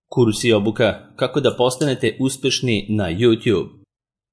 Kurs i obuka kako da postanete uspešni na YouTube.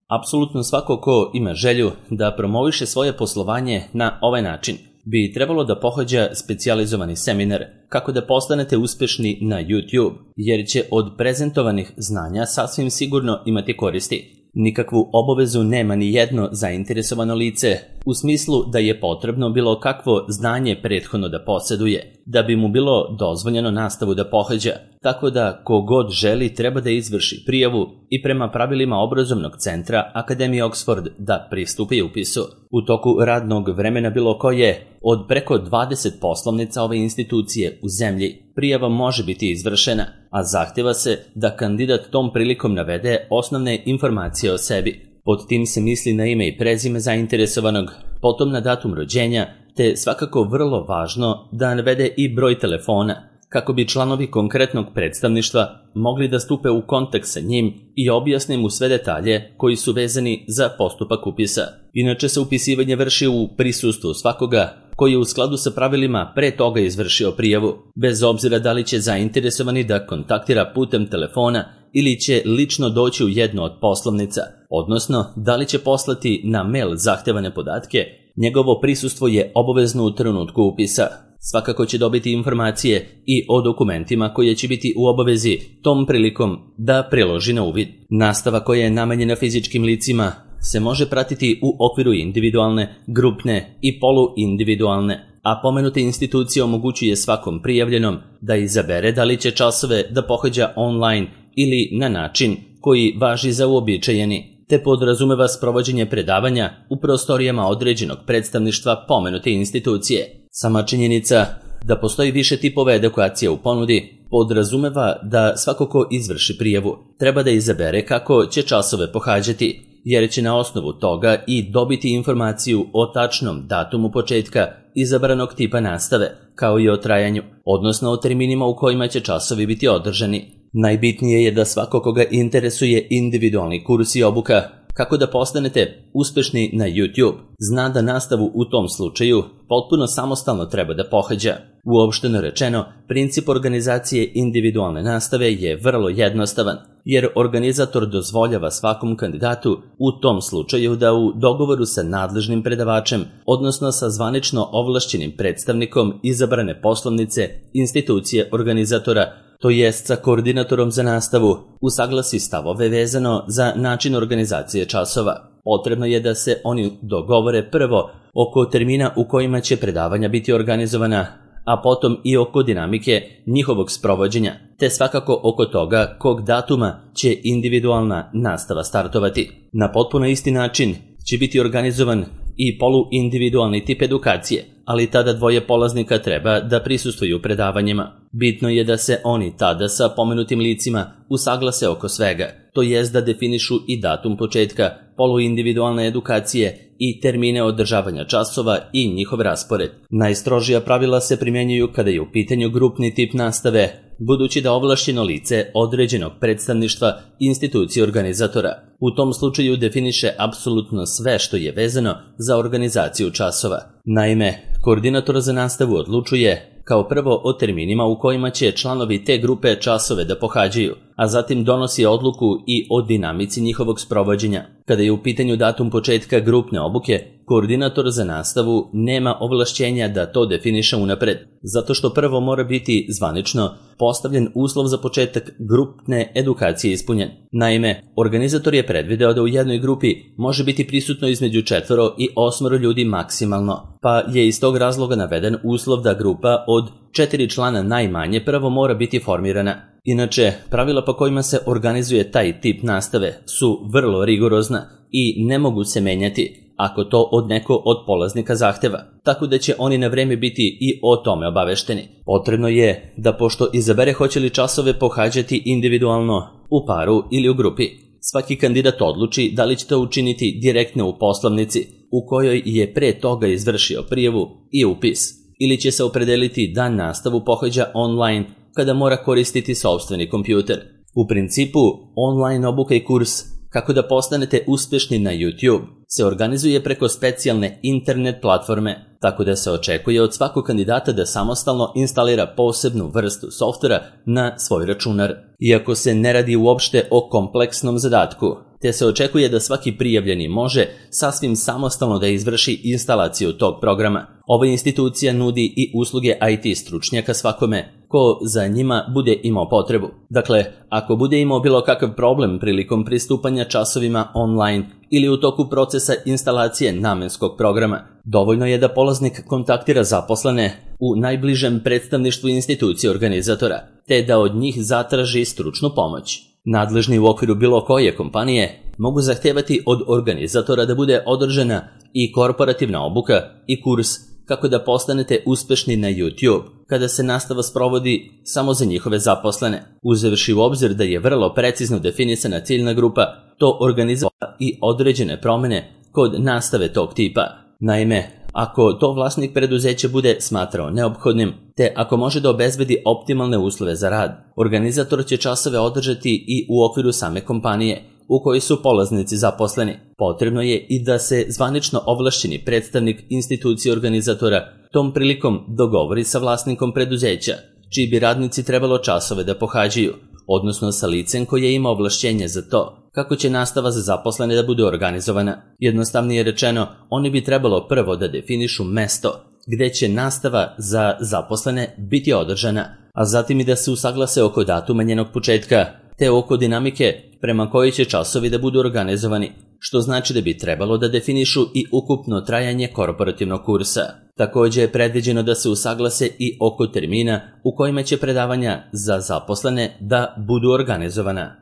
Apsolutno svako ko ima želju da promoviše svoje poslovanje na ovaj način bi trebalo da pohađa specijalizovani seminar kako da postanete uspešni na YouTube, jer će od prezentovanih znanja sasvim sigurno imati koristi. Nikakvu obavezu nema ni jedno zainteresovano lice, u smislu da je potrebno bilo kakvo znanje prethodno da posjeduje, da bi mu bilo dozvoljeno nastavu da pohađa, tako da kogod želi treba da izvrši prijavu i prema pravilima obrazovnog centra Akademije Oxford da pristupi upisu. U toku radnog vremena bilo koje, od preko 20 poslovnica ove institucije u zemlji, prijava može biti izvršena, a zahteva se da kandidat tom prilikom navede osnovne informacije o sebi. Pod tim se misli na ime i prezime zainteresovanog, potom na datum rođenja, te svakako vrlo važno da navede i broj telefona, kako bi članovi konkretnog predstavništva mogli da stupe u kontakt sa njim i objasne mu sve detalje koji su vezani za postupak upisa. Inače se upisivanje vrši u prisustvu svakoga koji je u skladu sa pravilima pre toga izvršio prijavu, bez obzira da li će zainteresovani da kontaktira putem telefona ili će lično doći u jednu od poslovnica, odnosno da li će poslati na mail zahtevane podatke, njegovo prisustvo je obavezno u trenutku upisa. Svakako će dobiti informacije i o dokumentima koje će biti u obavezi tom prilikom da priloži na uvid. Nastava koja je namenjena fizičkim licima se može pratiti u okviru individualne, grupne i poluindividualne, a pomenuta institucija omogućuje svakom prijavljenom da izabere da li će časove da pohađa online ili na način koji važi za uobičajeni, te podrazumeva sprovođenje predavanja u prostorijama određenog predstavništva pomenute institucije. Sama činjenica da postoji više tipova edukacije u ponudi podrazumeva da svako ko izvrši prijavu treba da izabere kako će časove pohađati, jer će na osnovu toga i dobiti informaciju o tačnom datumu početka izabranog tipa nastave, kao i o trajanju, odnosno o terminima u kojima će časovi biti održani. Najbitnije je da svako koga interesuje individualni kurs i obuka kako da postanete uspešni na YouTube, zna da nastavu u tom slučaju potpuno samostalno treba da pohađa. Uopšteno rečeno, princip organizacije individualne nastave je vrlo jednostavan, jer organizator dozvoljava svakom kandidatu u tom slučaju da u dogovoru sa nadležnim predavačem, odnosno sa zvanično ovlašćenim predstavnikom izabrane poslovnice, institucije organizatora, to jest sa koordinatorom za nastavu, usaglasi stavove vezano za način organizacije časova. Potrebno je da se oni dogovore prvo oko termina u kojima će predavanja biti organizovana, a potom i oko dinamike njihovog sprovođenja, te svakako oko toga kog datuma će individualna nastava startovati. Na potpuno isti način će biti organizovan i poluindividualni tip edukacije, ali tada dvoje polaznika treba da prisustvuju predavanjima. Bitno je da se oni tada sa pomenutim licima usaglase oko svega, to jest da definišu i datum početka poluindividualne edukacije i termine održavanja časova i njihov raspored. Najstrožija pravila se primjenjuju kada je u pitanju grupni tip nastave, budući da ovlašćeno lice određenog predstavništva institucije organizatora u tom slučaju definiše apsolutno sve što je vezano za organizaciju časova. Naime, koordinator za nastavu odlučuje kao prvo o terminima u kojima će članovi te grupe časove da pohađaju, a zatim donosi odluku i o dinamici njihovog sprovođenja. Kada je u pitanju datum početka grupne obuke, koordinator za nastavu nema ovlašćenja da to definiše unapred, zato što prvo mora biti zvanično postavljen uslov za početak grupne edukacije ispunjen. Naime, organizator je predvideo da u jednoj grupi može biti prisutno između 4 i 8 ljudi maksimalno, pa je iz tog razloga naveden uslov da grupa od 4 člana najmanje prvo mora biti formirana. Inače, pravila po kojima se organizuje taj tip nastave su vrlo rigorozna i ne mogu se menjati ako to od neko od polaznika zahteva, tako da će oni na vreme biti i o tome obavešteni. Potrebno je da pošto izabere hoće li časove pohađati individualno, u paru ili u grupi, svaki kandidat odluči da li će to učiniti direktno u poslovnici u kojoj je pre toga izvršio prijavu i upis, ili će se opredeliti da nastavu pohađa online kada mora koristiti sopstveni kompjuter. U principu, online obuka i kurs kako da postanete uspešni na YouTube se organizuje preko specijalne internet platforme, tako da se očekuje od svakog kandidata da samostalno instalira posebnu vrstu softvera na svoj računar. Iako se ne radi uopšte o kompleksnom zadatku, te se očekuje da svaki prijavljeni može sasvim samostalno da izvrši instalaciju tog programa. Ova institucija nudi i usluge IT stručnjaka svakome ko za njima bude imao potrebu. Dakle, ako bude imao bilo kakav problem prilikom pristupanja časovima online ili u toku procesa instalacije namenskog programa, dovoljno je da polaznik kontaktira zaposlene u najbližem predstavništvu institucije organizatora, te da od njih zatraži stručnu pomoć. Nadležni u okviru bilo koje kompanije mogu zahtevati od organizatora da bude održana i korporativna obuka i kurs kako da postanete uspešni na YouTube, kada se nastava sprovodi samo za njihove zaposlene. Uzevši u obzir da je vrlo precizno definisana ciljna grupa, to organizuje i određene promene kod nastave tog tipa. Naime, ako to vlasnik preduzeća bude smatrao neophodnim, te ako može da obezbedi optimalne uslove za rad, organizator će časove održati i u okviru same kompanije u kojoj su polaznici zaposleni. Potrebno je i da se zvanično ovlašćeni predstavnik institucije organizatora tom prilikom dogovori sa vlasnikom preduzeća, čiji bi radnici trebalo časove da pohađaju, odnosno sa licem koje ima ovlašćenje za to, kako će nastava za zaposlene da bude organizovana. Jednostavnije rečeno, oni bi trebalo prvo da definišu mesto gde će nastava za zaposlene biti održana, a zatim i da se usaglase oko datuma njenog početka, te oko dinamike prema kojoj će časovi da budu organizovani, što znači da bi trebalo da definišu i ukupno trajanje korporativnog kursa. Također je predviđeno da se usaglase i oko termina u kojima će predavanja za zaposlene da budu organizovana.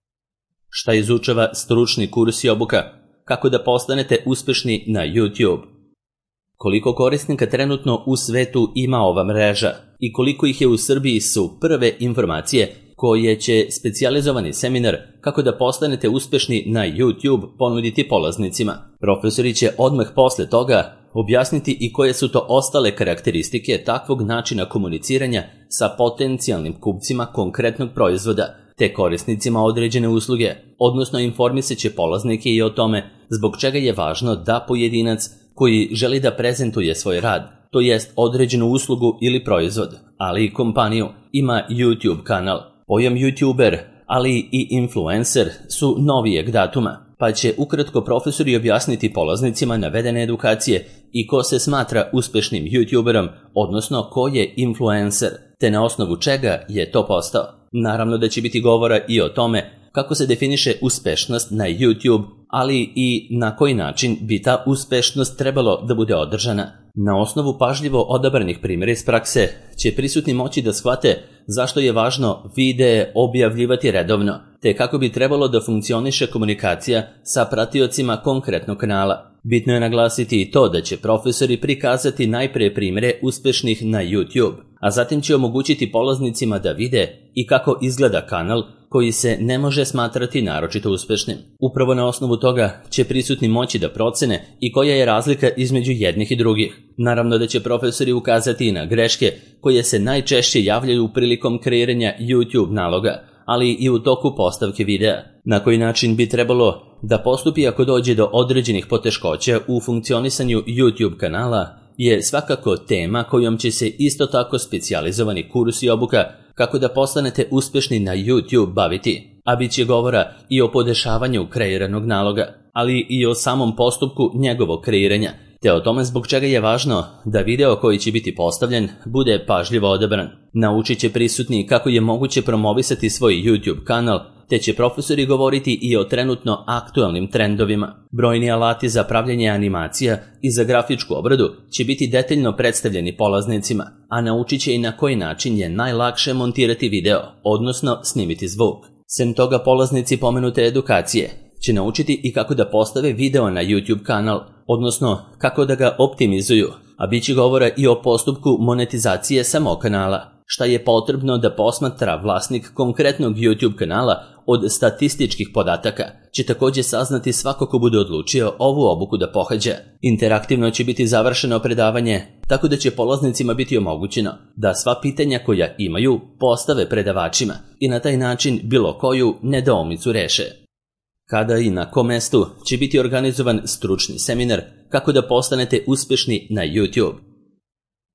Šta izučava stručni kurs i obuka? Kako da postanete uspešni na YouTube? Koliko korisnika trenutno u svetu ima ova mreža i koliko ih je u Srbiji su prve informacije koje će specijalizovani seminar kako da postanete uspešni na YouTube ponuditi polaznicima. Profesori će odmah posle toga objasniti i koje su to ostale karakteristike takvog načina komuniciranja sa potencijalnim kupcima konkretnog proizvoda te korisnicima određene usluge, odnosno informisat će polaznike i o tome zbog čega je važno da pojedinac koji želi da prezentuje svoj rad, to jest određenu uslugu ili proizvod, ali i kompaniju, ima YouTube kanal. Pojam YouTuber, ali i influencer su novijeg datuma, pa će ukratko profesori objasniti polaznicima navedene edukacije i ko se smatra uspešnim YouTuberom, odnosno ko je influencer, te na osnovu čega je to postao. Naravno da će biti govora i o tome kako se definiše uspešnost na YouTube, ali i na koji način bi ta uspešnost trebalo da bude održana. Na osnovu pažljivo odabranih primjera iz prakse će prisutni moći da shvate zašto je važno videe objavljivati redovno, te kako bi trebalo da funkcioniše komunikacija sa pratiocima konkretnog kanala. Bitno je naglasiti i to da će profesori prikazati najpre primjere uspešnih na YouTube, a zatim će omogućiti polaznicima da vide i kako izgleda kanal koji se ne može smatrati naročito uspešnim. Upravo na osnovu toga će prisutni moći da procene i koja je razlika između jednih i drugih. Naravno da će profesori ukazati i na greške koje se najčešće javljaju prilikom kreiranja YouTube naloga, ali i u toku postavke videa. Na koji način bi trebalo da postupi ako dođe do određenih poteškoća u funkcionisanju YouTube kanala je svakako tema kojom će se isto tako specijalizovani kurs i obuka kako da postanete uspešni na YouTube baviti, a bit će govora i o podešavanju kreiranog naloga, ali i o samom postupku njegovog kreiranja, te o tome zbog čega je važno da video koji će biti postavljen bude pažljivo odabran. Naučit će prisutni kako je moguće promovisati svoj YouTube kanal, te će profesori govoriti i o trenutno aktualnim trendovima. Brojni alati za pravljanje animacija i za grafičku obradu će biti detaljno predstavljeni polaznicima, a naučit će i na koji način je najlakše montirati video, odnosno snimiti zvuk. Sem toga, polaznici pomenute edukacije će naučiti i kako da postave video na YouTube kanal, odnosno kako da ga optimizuju, a bit će govora i o postupku monetizacije samog kanala. Šta je potrebno da posmatra vlasnik konkretnog YouTube kanala od statističkih podataka, će također saznati svako ko bude odlučio ovu obuku da pohađa. Interaktivno će biti završeno predavanje, tako da će polaznicima biti omogućeno da sva pitanja koja imaju postave predavačima i na taj način bilo koju nedoumicu reše. Kada i na kom mestu će biti organizovan stručni seminar kako da postanete uspešni na YouTube?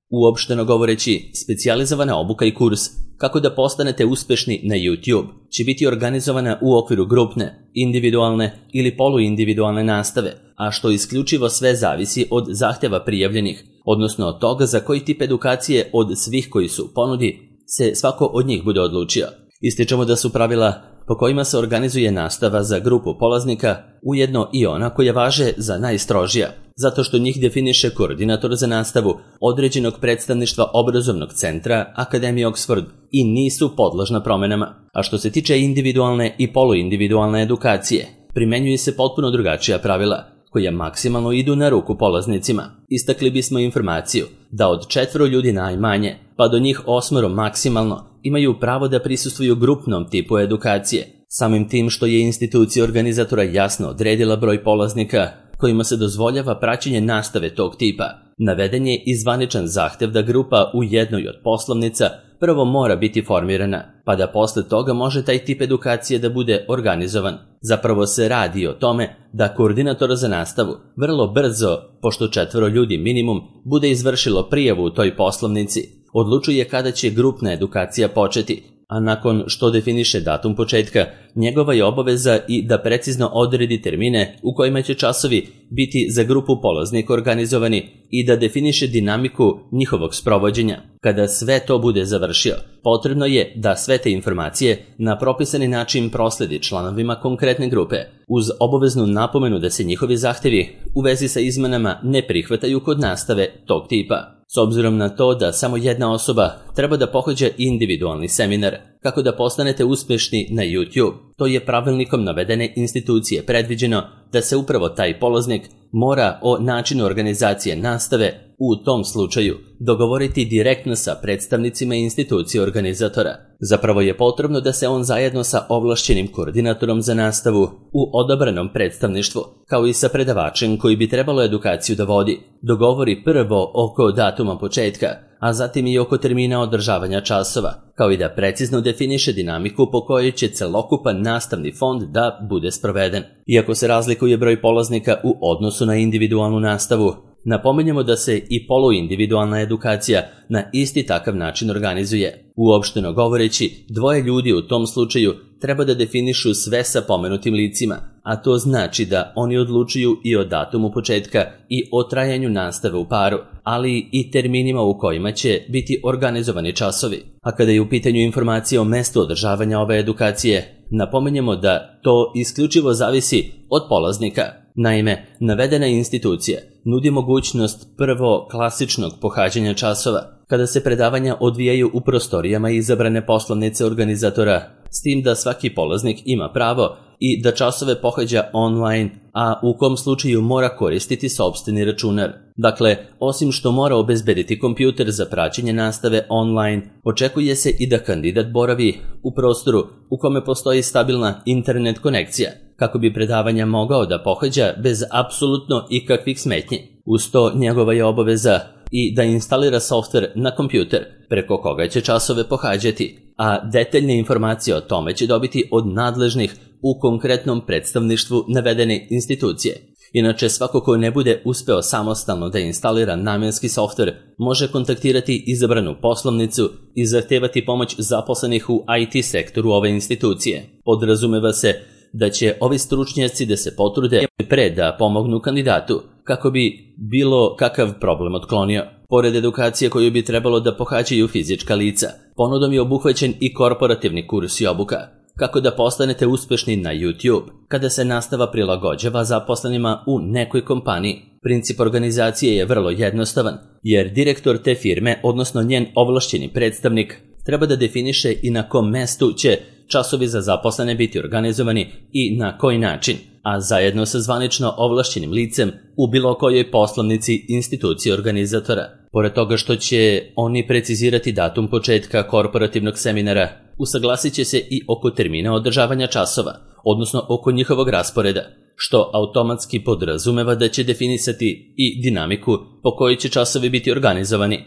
Uopšteno govoreći, specijalizovana obuka i kurs kako da postanete uspešni na YouTube će biti organizovana u okviru grupne, individualne ili poluindividualne nastave, a što isključivo sve zavisi od zahtjeva prijavljenih, odnosno od toga za koji tip edukacije od svih koji su u ponudi se svako od njih bude odlučio. Ističemo da su pravila po kojima se organizuje nastava za grupu polaznika ujedno i ona koja važe za najstrožija, zato što njih definiše koordinator za nastavu određenog predstavništva obrazovnog centra Akademije Oxford i nisu podložna promenama. A što se tiče individualne i poluindividualne edukacije, primenjuju se potpuno drugačija pravila, koja maksimalno idu na ruku polaznicima. Istakli bismo informaciju da od 4 ljudi najmanje, pa do njih 8 maksimalno, imaju pravo da prisustvuju grupnom tipu edukacije, samim tim što je institucija organizatora jasno odredila broj polaznika kojima se dozvoljava praćenje nastave tog tipa. Naveden je i zvaničan zahtev da grupa u jednoj od poslovnica prvo mora biti formirana, pa da posle toga može taj tip edukacije da bude organizovan. Zapravo se radi o tome da koordinator za nastavu vrlo brzo, pošto 4 ljudi minimum bude izvršilo prijavu u toj poslovnici, odlučuje kada će grupna edukacija početi, a nakon što definiše datum početka, njegova je obaveza i da precizno odredi termine u kojima će časovi biti za grupu polaznika organizovani i da definiše dinamiku njihovog sprovođenja. Kada sve to bude završio, potrebno je da sve te informacije na propisani način prosledi članovima konkretne grupe, uz obaveznu napomenu da se njihovi zahtevi u vezi sa izmenama ne prihvataju kod nastave tog tipa. S obzirom na to da samo jedna osoba treba da pohađa individualni seminar kako da postanete uspešni na YouTube, to je pravilnikom navedene institucije predviđeno da se upravo taj polaznik mora o načinu organizacije nastave u tom slučaju dogovoriti direktno sa predstavnicima institucije organizatora. Zapravo je potrebno da se on zajedno sa ovlašćenim koordinatorom za nastavu u odabranom predstavništvu, kao i sa predavačem koji bi trebalo edukaciju da vodi, dogovori prvo oko datuma početka, a zatim i oko termina održavanja časova, kao i da precizno definiše dinamiku po kojoj će celokupan nastavni fond da bude sproveden. Iako se razlikuje broj polaznika u odnosu na individualnu nastavu, napominjemo da se i poluindividualna edukacija na isti takav način organizuje. Uopšteno govoreći, 2 ljudi u tom slučaju treba da definišu sve sa pomenutim licima, a to znači da oni odlučuju i o datumu početka i o trajanju nastave u paru, ali i terminima u kojima će biti organizovani časovi. A kada je u pitanju informacija o mestu održavanja ove edukacije, napominjemo da to isključivo zavisi od polaznika. Naime, navedena institucija nudi mogućnost prvo klasičnog pohađanja časova, kada se predavanja odvijaju u prostorijama izabrane poslovnice organizatora, s tim da svaki polaznik ima pravo i da časove pohađa online, a u kom slučaju mora koristiti sopstveni računar. Dakle, osim što mora obezbediti kompjuter za praćenje nastave online, očekuje se i da kandidat boravi u prostoru u kome postoji stabilna internet konekcija, kako bi predavanja mogao da pohađa bez apsolutno ikakvih smetnji. Uz to njegova je obaveza i da instalira softver na kompjuter preko koga će časove pohađati, a detaljne informacije o tome će dobiti od nadležnih u konkretnom predstavništvu navedene institucije. Inače, svako ko ne bude uspeo samostalno da instalira namenski softver može kontaktirati izabranu poslovnicu i zahtevati pomoć zaposlenih u IT sektoru ove institucije. Podrazumeva se da će ovi stručnjaci da se potrude pre da pomognu kandidatu kako bi bilo kakav problem otklonio. Pored edukacije koju bi trebalo da pohađaju fizička lica, ponudom je obuhvaćen i korporativni kurs i obuka. Kako da postanete uspešni na YouTube kada se nastava prilagođava zaposlenima u nekoj kompaniji. Princip organizacije je vrlo jednostavan, jer direktor te firme, odnosno njen ovlašćeni predstavnik, treba da definiše i na kom mestu će časovi za zaposlene biti organizovani i na koji način, a zajedno sa zvanično ovlašćenim licem u bilo kojoj poslovnici institucije organizatora. Pored toga što će oni precizirati datum početka korporativnog seminara, usaglasit će se i oko termina održavanja časova, odnosno oko njihovog rasporeda, što automatski podrazumeva da će definisati i dinamiku po kojoj će časovi biti organizovani.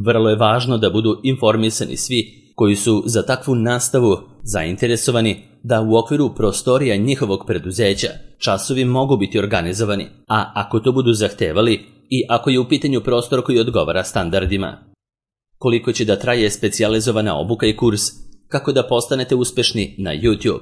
Vrlo je važno da budu informisani svi koji su za takvu nastavu zainteresovani da u okviru prostorija njihovog preduzeća časovi mogu biti organizovani, a ako to budu zahtevali i ako je u pitanju prostor koji odgovara standardima. koliko će da traje specijalizovana obuka i kurs, kako da postanete uspešni na YouTube.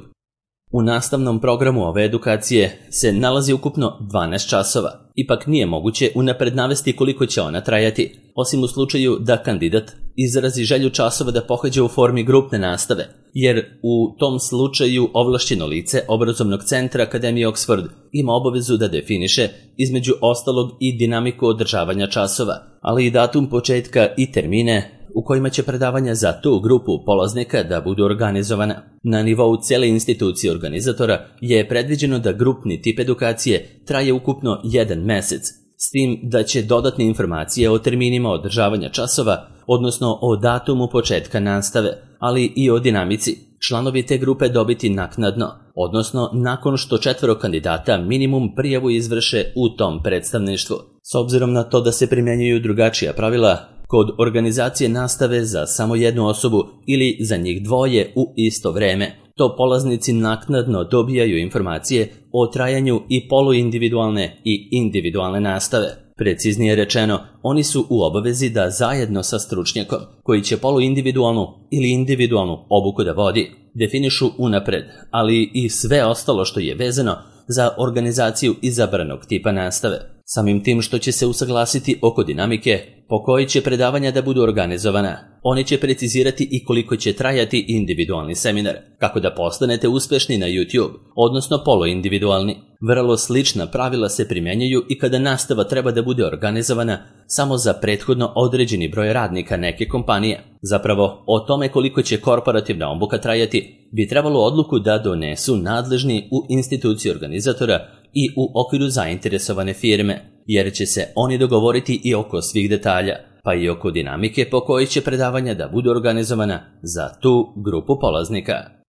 U nastavnom programu ove edukacije se nalazi ukupno 12 časova. Ipak nije moguće unapred navesti koliko će ona trajati, osim u slučaju da kandidat izrazi želju časova da pohađa u formi grupne nastave, jer u tom slučaju ovlašćeno lice obrazovnog centra Akademije Oxford ima obavezu da definiše, između ostalog, i dinamiku održavanja časova, ali i datum početka i termine u kojima će predavanja za tu grupu polaznika da budu organizovana. Na nivou cijele institucije organizatora je predviđeno da grupni tip edukacije traje ukupno 1 mesec, s tim da će dodatne informacije o terminima održavanja časova, odnosno o datumu početka nastave, ali i o dinamici, članovi te grupe dobiti naknadno, odnosno nakon što 4 kandidata minimum prijavu izvrše u tom predstavništvu. S obzirom na to da se primjenjuju drugačija pravila kod organizacije nastave za samo jednu osobu ili za njih dvoje u isto vreme, to polaznici naknadno dobijaju informacije o trajanju i poluindividualne i individualne nastave. Preciznije rečeno, oni su u obavezi da zajedno sa stručnjakom, koji će poluindividualnu ili individualnu obuku da vodi, definišu unapred, ali i sve ostalo što je vezano za organizaciju izabranog tipa nastave. Samim tim što će se usaglasiti oko dinamike po kojoj će predavanja da budu organizovana, oni će precizirati i koliko će trajati individualni seminar, kako da postanete uspešni na YouTube, odnosno poluindividualni. Vrlo slična pravila se primjenjuju i kada nastava treba da bude organizovana samo za prethodno određeni broj radnika neke kompanije. Zapravo, o tome koliko će korporativna obuka trajati bi trebalo odluku da donesu nadležni u instituciji organizatora i u okviru zainteresovane firme, jer će se oni dogovoriti i oko svih detalja, pa i oko dinamike po kojoj će predavanja da budu organizovana za tu grupu polaznika.